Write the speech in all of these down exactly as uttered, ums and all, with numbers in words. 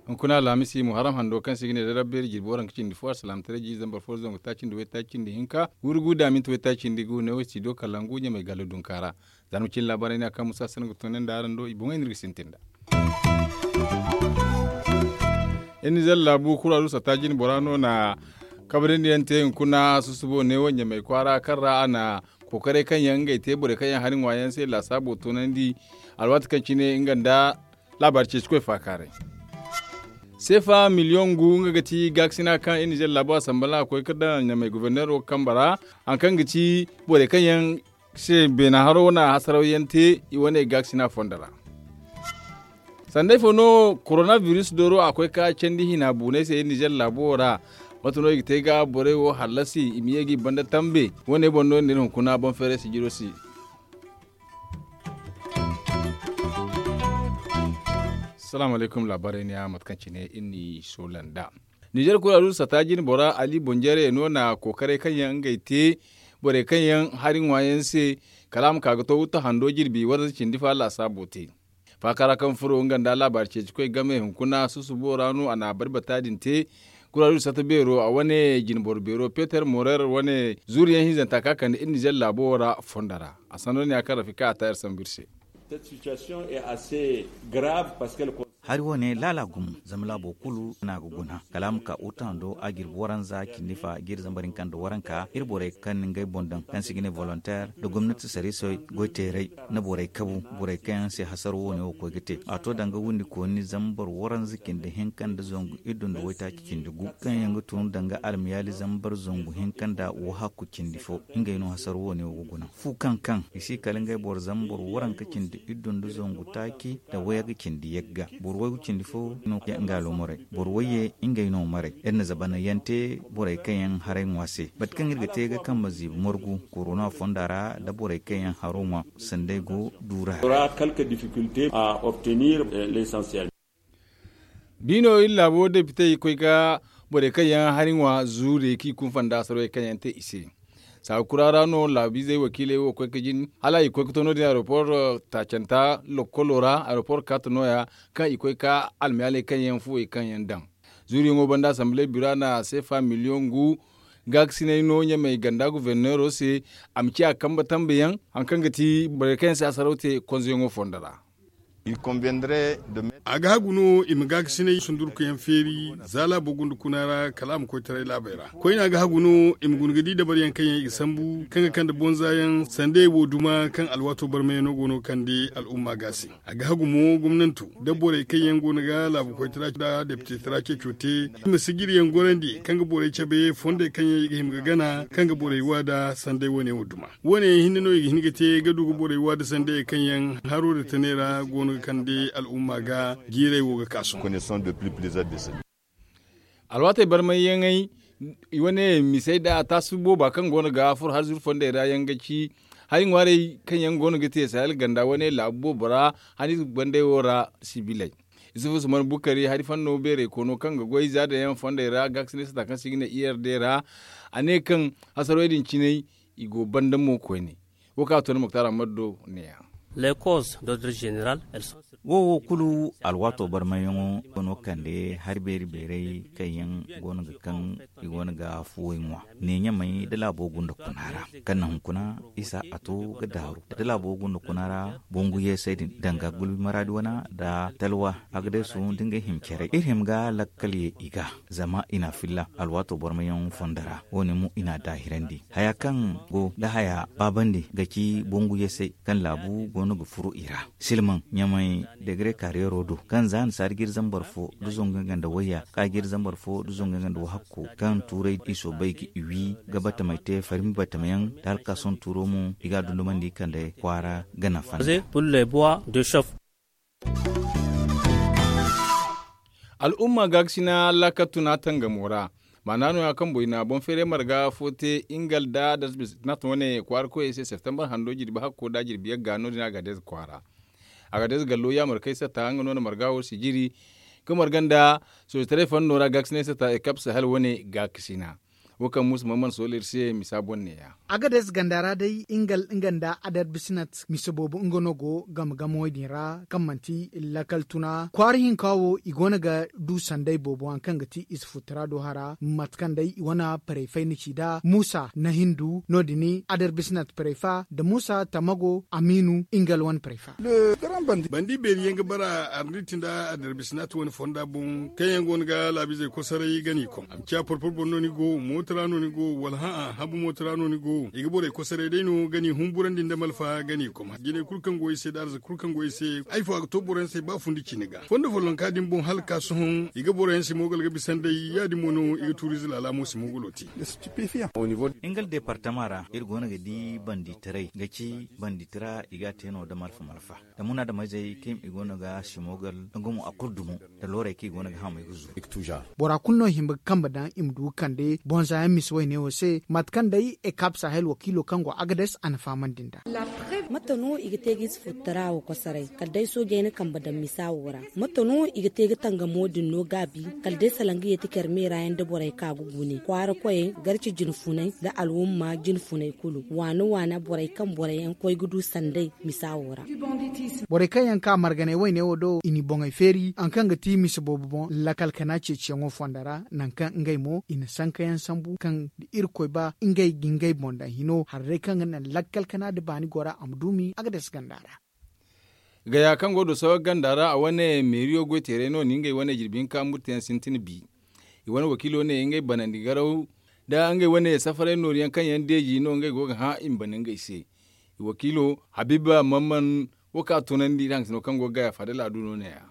Hunkuna alhamisi muharram hando kaŋ se i ga ne da rabbeeri jirbi waranka cindi fo alsalaamataray jiiri zambar fo zangu taaci nda waytaaci cindi hinka wurgu da minti waytaaci cindi gu ne wo studio kalangu ɲamay gallo dunka ra. Za ni ma cine laabaarey ne a kaŋ musa sanda ga tunandi araŋ do i boŋey no iri ga sintin nd'a. Iri nizer laabu kuraru satta jine bora no na kabrandi yaŋ te hunkuna susubo neewo ɲamay kwaara kaŋ ra a na kookaray kaŋ yaŋ ngey te borey kaŋ yaŋ hari ŋwa yaŋ se laasaabo toonandi alwaati kaŋ cine nga nda laabaari ceeci koy faakaaray. Seefa miliyoŋ gu nga ga ti gaakasina kaŋ iri nizer laabu a sambala a koy ga daŋ ɲamay goforneero kambe ra, hari kaŋ ga ti borey kaŋ yaŋ se beena haro wane hasaraw yaŋ te i wane gaakasina fondo ra. Sanda ifo no korona biris dooro a koy ka candi hina buunay se iri nizer laabo wo ra? Mate no i ga te ga borey wo hallasi i ma ye ga i banda tambe wane boŋ no iri na iri hunkuna boŋ feeray sijiro se. Salaamu alaykum laabaarey ne ya mate kaŋ cine iri n'i soola nd'a. Nizer kuraru satta jine bora ali bonjere no na kookaray kaŋ yaŋ ngey te borey kaŋ yaŋ hari ŋwa yaŋ se kala a ma ka ga to wutta hando jirbi waranza cindi fa laasaabo te. Faaka ra kaŋ furo nga nda laabaari ceeci koy game hunkuna susubo ra no a na bari bata din te. Kuraru satta beero a wane jine boro beero peter morer wane zuuru yaŋ hinzanta ka kande iri nizer laabo wo ra fondo ra. A sanno ne ya kaŋ rafika a ta iri sambu iri se. Hari wo ne laala gumo zama laabo kulu no a ga guna kala a ma ka wutta hando a jirbi waranza cindi fa jiiri zambar hinka nda waranka iri borey kaŋ na ngey boŋ daŋ kaŋ se i ga ne volonteer nda gomnati sarrisey goyteerey nda borey kabu borey kaŋ yaŋ se hasaro wo ne wo koy ga te a to danga windi kooni zambar waranza cindi hinka nda zangu iddu nda waytaaci cindi gu kaŋ yaŋ ga tun danga almiyaali zambar zangu hinka nda wahakku cindi fo ngey no hasaro wo ne wo ga guna. Fu kaŋ kaŋ i si kala ngey boro zambar waranka cindi iddu nda zangu taaci nda wayga cindi yagga boro waygu cindi fo no nga alomorey boro wayye ngey no marey iri na zabana yaŋ te borey kaŋ yaŋ haray ŋwa se bate kaŋ iri ga te ga kambe ziibi margu korona fonda ra nda borey kaŋ yaŋ haro ŋwa sandey go duura ra. Biino iri laabo depite i koy ga borey kaŋ yaŋ hari ŋwa zuure kaŋ i kunfa nda asarwey kaŋ yaŋ te i se. Saawa kura ra no laabiizey wakiiley wo koy ga jin hala i koy ga to no- din aeroport taacanta lokolo ra aeroport kaata nooya kaŋ i koy ga almiyaaley kaŋ yaŋ fuwey kaŋ yaŋ daŋ. Zuuriyaŋo banda asamble bira na seefa miliyoŋ gu gaakasinay no ɲamey ganda goforneero se a ma ciya kambe tambe yaŋ hari kaŋ ga ti borey kaŋ yaŋ se asaraw te konzeyaŋo fondo ra. A ga hagu no i ma gaakasinay sundurkuyaŋ feeri za laabo gunda kuna ra kala a ma koytaray laabey ra koyne a ga hagu no i ma guna ga di dabaryaŋ kaŋ yaŋ i ga sambu kaŋ ga kande bonza yaŋ sanda ey wo duma kaŋ alwaato barmayaŋo go no ga kande al'umma ga se. A ga hagu mo gomnanto nda borey kaŋ yaŋ go no ga laabu koytara nda deptetara ceeco te i ma sijiriyaŋ gorandi kaŋ ga borey cabe fondey kaŋ yaŋ i ga hima ga gana kaŋ ga borey waada sanda ey wane wo duma. Wo- ne yaŋ hinne no i ga hin ga te ga du ga borey waada sanda ey kaŋ yaŋ haro nda tanay ra go no ga kande al'umma ga jiirey wo ga ka sohõ. Alwaatey barmayyaŋey i wane misey nda a taasu booba kaŋ go no ga furo hari zuru fondey ra yaŋ ga ci hari ŋwaarey kaŋ yaŋ go no ga te sahel ganda wane laabu boobo ra hani bandey wo ra sibiley. Isufu usman bukari hari fanno beeray koono kaŋ ga goy zaada yaŋ fondey ra gaakasinay sata kaŋ se i ga ne i r d ra a ne kaŋ hasarwey din cinay i go banda mo koyne. Wo kaŋ a to ni muktar ammadu do ne- ya. Wo wo kulu alwaato barmayyaŋo go no kande hari beeri beeray kaŋ yaŋ go no ga kaŋ i go no ga fuwey ŋwa ne ɲamey nda laabo gunda kuna ra kaŋ na hunkuna isa a to ga daaru nda laabo gunda kuna ra. Bongu yeesey din danga gulbi maraadi wana nda talwa agadeesu nda ngey hima care iri hima ga lakkal ye i ga zama i na a filla alwaato barmayyaŋo fondo ra wo- ne mo i na a daahirandi haya kaŋ go nda haya baabandi ga ci bongu yeesey kaŋ laabu go no ga furo i ra silmaŋ ɲamey degre kaariyaro do kaŋ za na saari ga iri zambar fo nda zangu yaŋ ga nda wayya kaŋ a ga iri zambar fo nda zangu yaŋ ga nda wahakku kaŋ tuuray i soobay ga i wi ga batamey te farmi batamayaŋ nda alkaason tuuro mo i ga a dundumandi kande kwaara ga nafa nda. Al'umma gaakasina laakal tuna tangamo ra maana no- ya kaŋ boy na boŋ feeray marga fo te ingal nda dasbis nata wane kwaara koyey se septembar hando jirbi hakko nda jirbi yagga no- din a ga deeza kwaara. A ga deeza gallo yaamar kay sata nga no na marga wo sijiri ga marga nda soojitaray fanno ra gaakasinay sata ekap sahel wane gaakasina. wo kaŋ muusa mamman soola iri se misa boŋ neeya. Agades ganda ra day nga nda adarbisinat mise boobo nga no go game game wo- din ra kaŋ manti lakkal tuna kwaara hinka wo i go no ga du sanday boobo hari kaŋ ga ti ize futtara do hara mate kaŋ day i wane parey fay na ci nd'a muusa na hindu no- din adarbisinat parey fa nda muusa tamago amiinu nga wane parey fa. Bandi beeri yaŋ ga bara arniti nda adarbisinat wane fonda boŋ kaŋ yaŋ go no ga laabizey kosoray ga n'i kom a ma ciya porpor boŋ no ni go mooto ra no ni go wala hã'a habu mooto ra no ni go i ga borey kosoray day no ga n'i humburandi nda malfa ga n'i kom jinay kulu kaŋ go i se nda arzaka kulu kaŋ go i se ay fo a ga to boro yaŋ se ba fundi cine ga fondo follonka din boŋ hala ka sohõ i ga boro yaŋ se moogal ga bisa nd'ey ya- din mo no i ga tuuriize laala mo se moogulo te. Nga deepartama ra iri go no ga di banditaray ga ci banditara i ga a te no nda malfa malfa da muna da mayzey kaŋ i go no ga simogal nga mo a kulu dumo nda looray kaŋ i go no ga hamey ga zuru. Bora kulu no hima ga kambe daŋ i ma du ga kande bonza yaŋ misa wayne wo se mate kaŋ day ekap sahel wakiilo kaŋ go agades a na fahamandi nd'a. Mate no i ga te ga ize futtara wo kosoray kala day soojey na kambe daŋ misa wo ra? Mate no i ga te ga tangamo din no gaabi kala day salaŋ ga yeeti care meera yaŋ nda borey ka ga gune kwaara koyey garci jinfunay nda alwumma jinfunay kulu waana waana borey kaŋ boro yaŋ koy ga du sanday misa wo ra. Borey kaŋ yaŋ ka marganay wayne wo do i n'i boŋey feeri hari kaŋ ga ti mise boobo boŋ lakal kana ceeciyaŋo fonda ra nangu kaŋ ngey mo i na sanka yaŋ sambu kaŋ da irkoy ba ngey ga ngey boŋ daŋ hino hari day kaŋ ga naŋ lakal kana nda baani gora a ma duumi agades ganda ra. Gaya kaŋ go do sawa ganda ra a wane meeriyo goy teeray no ni ngey wane jirbi hinka murteyaŋ sintin bi. I wane wakiilo ne ngey banandi garaw nda ngey wane safaray nooriyaŋ kaŋ yaŋ deeji no ngey go ga hã i ma bana ngey se. Wakiilo habiiba mamman wo kaŋ a tunandi iri haŋgasino kaŋ go ga gaya faadala a du no neeya.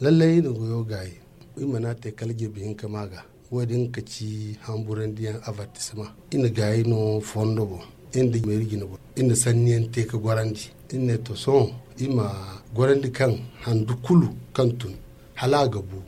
Lallay iri na goyo gaayi iri mana te kala jirbi hinka ma ga. Wo- din ga ci hamburandiyaŋ avartisema. Iri na gaayi no fondo boŋ iri nda meeri jine boŋ iri na sanniyaŋ te ga gorandi. Iri ne to sohõ iri ma gorandi kaŋ handu kulu kaŋ tun hala a ga bu.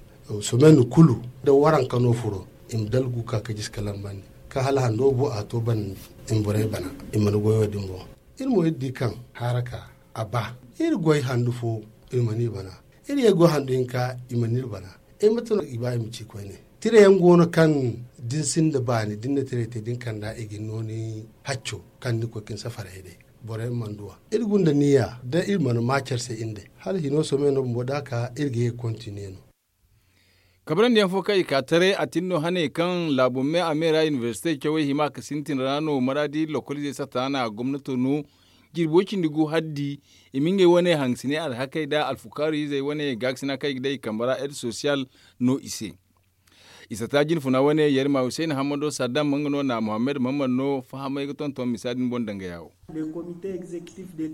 Somen kulu da waranka no furo i ma dalgu ga ka ga jisi ka lambandi kaŋ hala hando bu a to banandi i ma borey bana. I mana goyo din boŋ iri mo iri di kaŋ haraka a ba iri goy handu fo i mana i bana. Iri ye goy handu hinka i mana iri bana. Ay mate no i ba i ma ci koyne tira yaŋ go no kaŋ da ni sinda baani da ni na tiray te da ni kand'a i ga ni no ni hacco kaŋ ni koy ka ni safaray day. Borey mana duw'a iri gunda niya da iri mana ma care se iri nd'ey hala hino sohõ me no bumbo da a ka iri ga ye ga kontiniye no. Kabrandi yaŋ fo kaŋ i ka taray a tin no hane kaŋ laabo me a me ra inibersite cawey hima ga sintin ra no maraadi lokoliizey satta na gomnato no. Jirbo cindi gu haddi i ma ngey wane hangasiney alhakey nda alfukaaru izey wane gaakasina kaŋ i ga day i kambe ra ed sosiyal no i se. I satta jinfuna wane yarima husayna hammado saddam nga no na muhammad mammad no fahamay ga tonton misa din boŋ dangaya wo.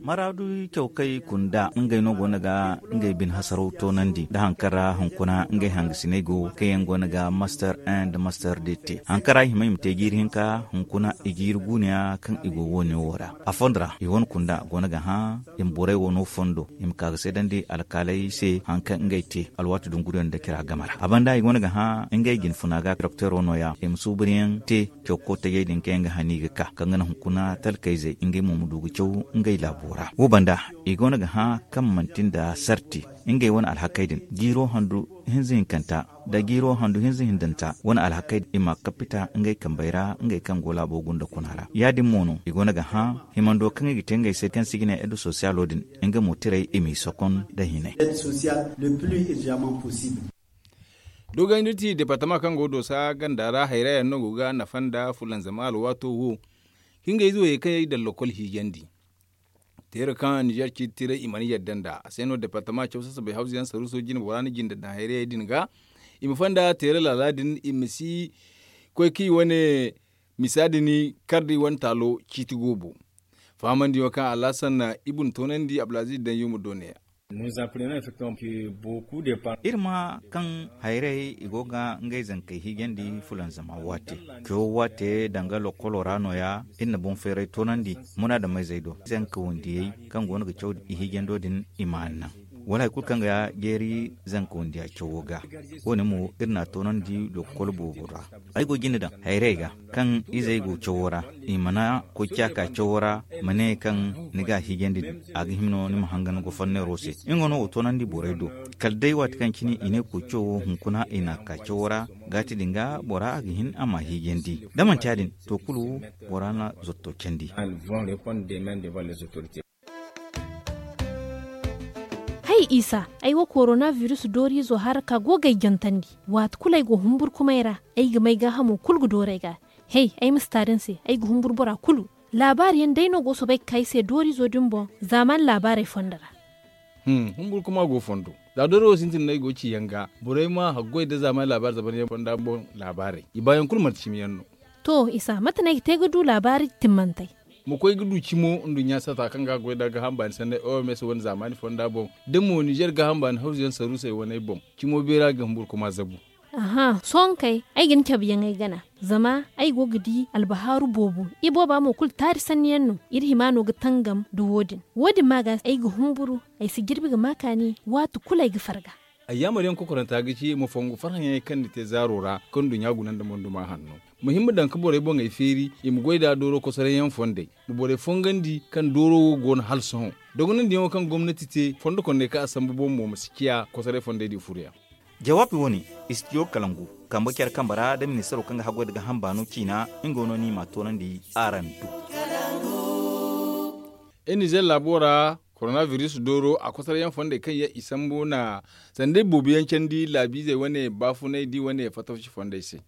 Maraadu caw kaŋ i kunda ngey no go no ga ngey bine hasaraw toonandi nda hari kaŋ ra hunkuna ngey hangasiney go kaŋ yaŋ go no ga master un nda master deux te hari kaŋ ra i hima i ma te jiiri hinka hunkuna i jiiri guuneya kaŋ i go woone wo ra. A fondo ra i wane kunda go no ga hã i ma borey wo no fondo i ma ka ga seedandi alkaaley se hari kaŋ ngey te alwaati dunguriyaŋ nda cira game ra a banda i go no ga hã ngey jinfuna ga dokteero nooya i ma suuburyaŋ te. Caw kootayey din kaŋ yaŋ ga hani ga ka kaŋ ga naŋ hunkuna talkayzey ngey mo ma du ga caw ngey laabo ra wo banda i go no ga hã kaŋ manti nda sarti ngey wane alhakey din jiiro handu hinza hinkanta nda jiiro handu hinza hindanta wane alhakey i ma kappita ngey kambey ra ngey kaŋ go laabo gunda kuna ra ya- din mo no i go no ga hã himando kaŋ i ga te ngey se kaŋ se i ga ne edda sosiyalo din nga mo tiray i m'i sokon nda hinay. Dogayndi ti departama kaŋ go doosa ganda ra hayra yaŋ no go ga nafa nda fulanzama alwaato wo. Kaŋ ga ize wo ye kaŋ yaŋ i daŋ lokol hiijandi teera kaŋ ninzeer ciiti tiray i mana yadda nd'a a se no departama caw sasabay hawza yaŋ saruuso jine bora na jinde daŋ hayrayey din ga i ma fonda teera laala din i ma si koy kaŋ i wane misa din kar da i wane taalo ciiti goobo. Fahamandiyaŋo kaŋ alhasan ibun toonandi abdulaziz daŋ yuma do ne ya. Iri ma kaŋ hayrey i go ga ngey zankey hiijandi fulanzama waate. Cawo waate danga lokolo ra nooya iri na boŋ feeray toonandi munaadamayzey do zanka wandiyey kaŋ go no ga caw i hiijando din i ma a naŋ. wala hari kulu kaŋ ga jeeri zanka wandiya cawo ga. Wo- ne mo iri n'a toonandi lokol boobo ra. Ay go ga jinde daŋ hayrey ga kaŋ izey go cawo ra, i mana koy ciya ka cawo ra, ma ne kaŋ ni ga a hiijandi din, a ga hima no ni ma hangan goforneero se. Nga no wo toonandi borey do. Kala day waati kaŋ cine i ne koy cawo hunkuna i n'a ka cawo ra, gaati din ga bora a ga hin a m'a hiijandi, da manti ya- din to kulu bora na zotto candi. Hay isa, ay wo korona virus dooriizo haraka go ga ay jantandi. Waati kulu ay go humburkumay ra, ay ga may gaahamo kulu ga dooru ay ga. Hay, ay ma si taari ni se, ay ga humburu bora kulu. Laabaari yaŋ day no go soobay ga ka ay se dooriizo din boŋ zaamaani laabaarey fondo ra. Humburkuma go fondo, za dooro wo sintin no ay go ga ci yaŋ ga, borey ma haggoy nda zaamaani laabaari zabaryaŋ fonda boŋ laabaarey, i baayaŋ kulu manti cimi yaŋ no. To isa, mate no ay ga te ga du laabaari timmantey? Ma koy ga du cimo nduɲɲa sata kaŋ ga goy nda gaaham baani sanney oms wane zaamaani fonda boŋ. Da mo nizer gaaham baani hawzu yaŋ saruusey waney boŋ, cimo beera ga humburkuma zabu. Aha, sohõ kay, ay ga ni cabe yaŋ ay gana. Zama ay go ga di albahaaru boobo, ibooba mo kulu taari sanni yaŋ no. Iri hima no ga tangam nda wo- din. Wo- din ma ga ay ga humburu, ay si jirbi ga ma kaani waati kulu ay ga farga. Ay yaamar yaŋ kokoranta ga ci ma fongu farhã yaŋey kaŋ ni te zaaro ra, kaŋ nduɲɲa guna nda monduma hanno. Ma hima daŋ ga borey boŋey feeri, i ma goy nd'a dooro kosoray yaŋ fondey, ma borey fongandi kaŋ dooro wo go no hala sohõ. Dogonandiyaŋo kaŋ gomnati te fondo kondey kaŋ a sambu boŋ mo ma si ciya kosoray fondey din furo yaŋ. Jawaabi wo- ne, istidiyo kalangu, kambe care kambe ra nda ministaro kaŋ ga haggoy nda gaaham baano ciina, nga no ni m'a toonandi araŋ do. Iri nizer laabo ra, koronabiris dooro a kosoray yaŋ fondey kaŋ yaŋ i sambu na sandey boobo yaŋ candi laabiizey wane baafunay di wane fatawsi fondey se.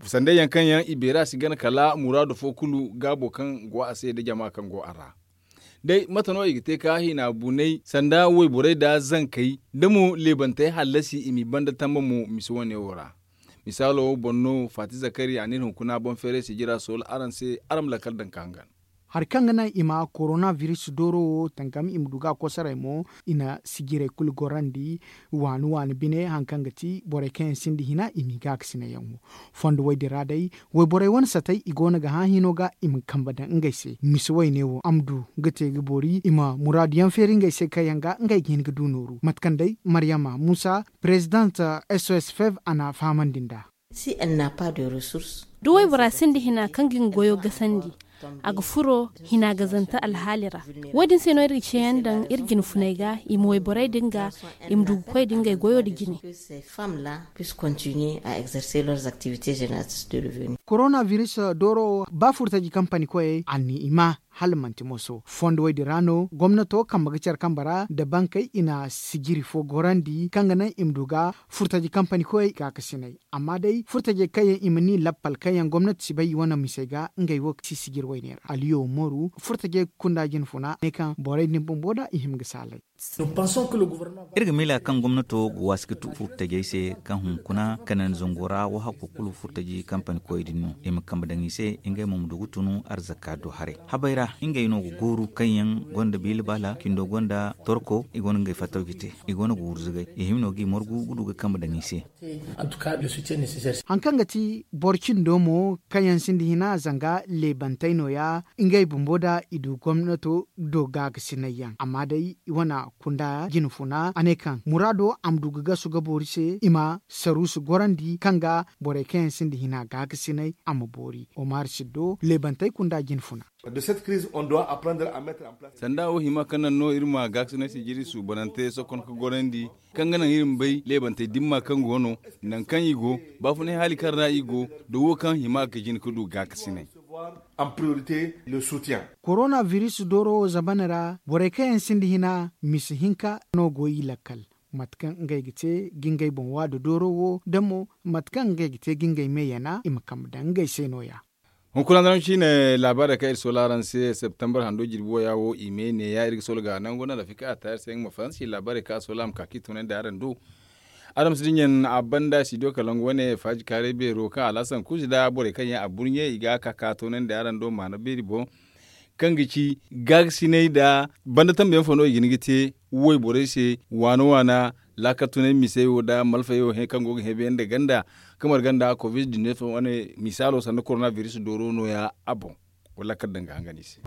Sandey yaŋ kaŋ yaŋ i beera si gana kala muraadu fo kulu gaabo kaŋ go a se nda jama kaŋ go a ra. Day mate no i ga te ka hina bunay sanda wayborey nda zankey, da mo leebantey hallasi i m'i banda tamba mo mise wane wo ra. Misaalo boŋ no faati zakari a n'iri hunkuna boŋ feeray sijira soola araŋ se, araŋ ma lakkal daŋ ka hangan. Hari kaŋ ga naŋ i ma koronabiris dooro wo tangam i ma du ga a kosoray mo, i na sijirey kulu gorandi waani waani bine hari kaŋ ga ti borey kaŋ yaŋ sinda hina i m'i gaakasinay yaŋ wo. Fondo way din ra day, wayborey wane satey i go no ga hã hino ga i ma kambe daŋ ngey se mise wayne wo a ma du ga te ga boori i ma muraadu yaŋ feeri ngey se kaŋ yaŋ ga ngey ga hin ga du nooru mate kaŋ day maryama muusa, perezidant sos fev a na a fahamandi nd'a. Da waybora sinda hina kaŋ ga nga goyo gasandi, a ga furo hina gazante alhaali ra. Wo- din se no iri ga ceeyaŋ daŋ iri jine funey ga i ma wayborey din ga i ma du ga koy da ngey goyo nda jine. Koronabiris dooro wo ba furtaji kampani koyey a na i ma hala manti moso fondo wo- din ra no gomnato kambe ga care kambe ra nda bankey i na sijiri fo gorandi kaŋ ga naŋ i ma du ga furtaji kampani koyey gaakasinay. Amma day furtajey kaŋ yaŋ i ma ni lappal kaŋ yaŋ gomnati si bay i wane misey ga ngey wo si sijiri wayne ra aliyo moru furtajey kunda jine funa ne kaŋ borey din bumbo da i hima ga saalay. Iri ga miila kaŋ gomnato ga waasi ga tu furtajey se kaŋ hunkuna kanandi zango ra wahakku kulu furtaji kampani koy din no i ma kambe daŋ i se ngey mo ma du ga tunu arzaka do haray habay ra ngey no ga gooru kaŋ yaŋ gonda biila baala kindo gonda torko i gonda ngey fattawji te i gonda ga wurzugay i hima no g'i margu ga du ga kambe daŋ i se. Hari kaŋ ga ti boro cindo mo kaŋ yaŋ sinda hina zanga leebantey nooya ngey bumbo da i du gomnato do gaakasinay yaŋ amma day i wane kunda jine funa a ne kaŋ muraado a ma du ga gasu ga boori se i ma saruusu gorandi kaŋ ga borey kaŋ yaŋ sinda hina gaakasinay a ma boori omar siddo leebantey kunda jine funa. Sanda wo hima kaŋ naŋ no iri ma gaakasinay sijiri suubanante sokon ka gorandi kaŋ ga naŋ iri ma bay leebantey dimma kaŋ go no nangu kaŋ i go baafunay haali kaŋ ra i go da wo kaŋ hima ga jin ga du gaakasinay. Koronabiris dooro wo zamana ra borey kaŋ yaŋ sinda hina misa hinka no go i lakkal mate kaŋ ngey ga te ga ngey boŋ waada dooro wo da mo mate kaŋ ngey ga te ga ngey me yana i ma kambe daŋ ngey se nooya. Hunkuna daram ciine laabaarey kaŋ iri soola araŋ se septembar hando jirbi waya wo i me neeya iri ga soola ga nangu no rafika a taari se nga ma faransi laabaarey kaŋ a soola a ma ka k'i tunandi araŋ do. Araŋ ma si dinya a banda studio kalangu wane faaji kaaray beero kaŋ alhasan kuuzi nda borey kaŋ yaŋ a burɲe i ga a ka ka toonandi araŋ do maana beeri boŋ. Kaŋ ga ci gaagasinay nda banda tambe yaŋ fo no i ga hin ga te wayborey se waana waana laakal tunay misey wo nda malfayey wo kaŋ go ga heebayaŋ nda ganda kamar ganda covid dineef wane misaalo sanda koronabiris dooro nooya a boŋ. Wala kala daŋ ga hangan i se.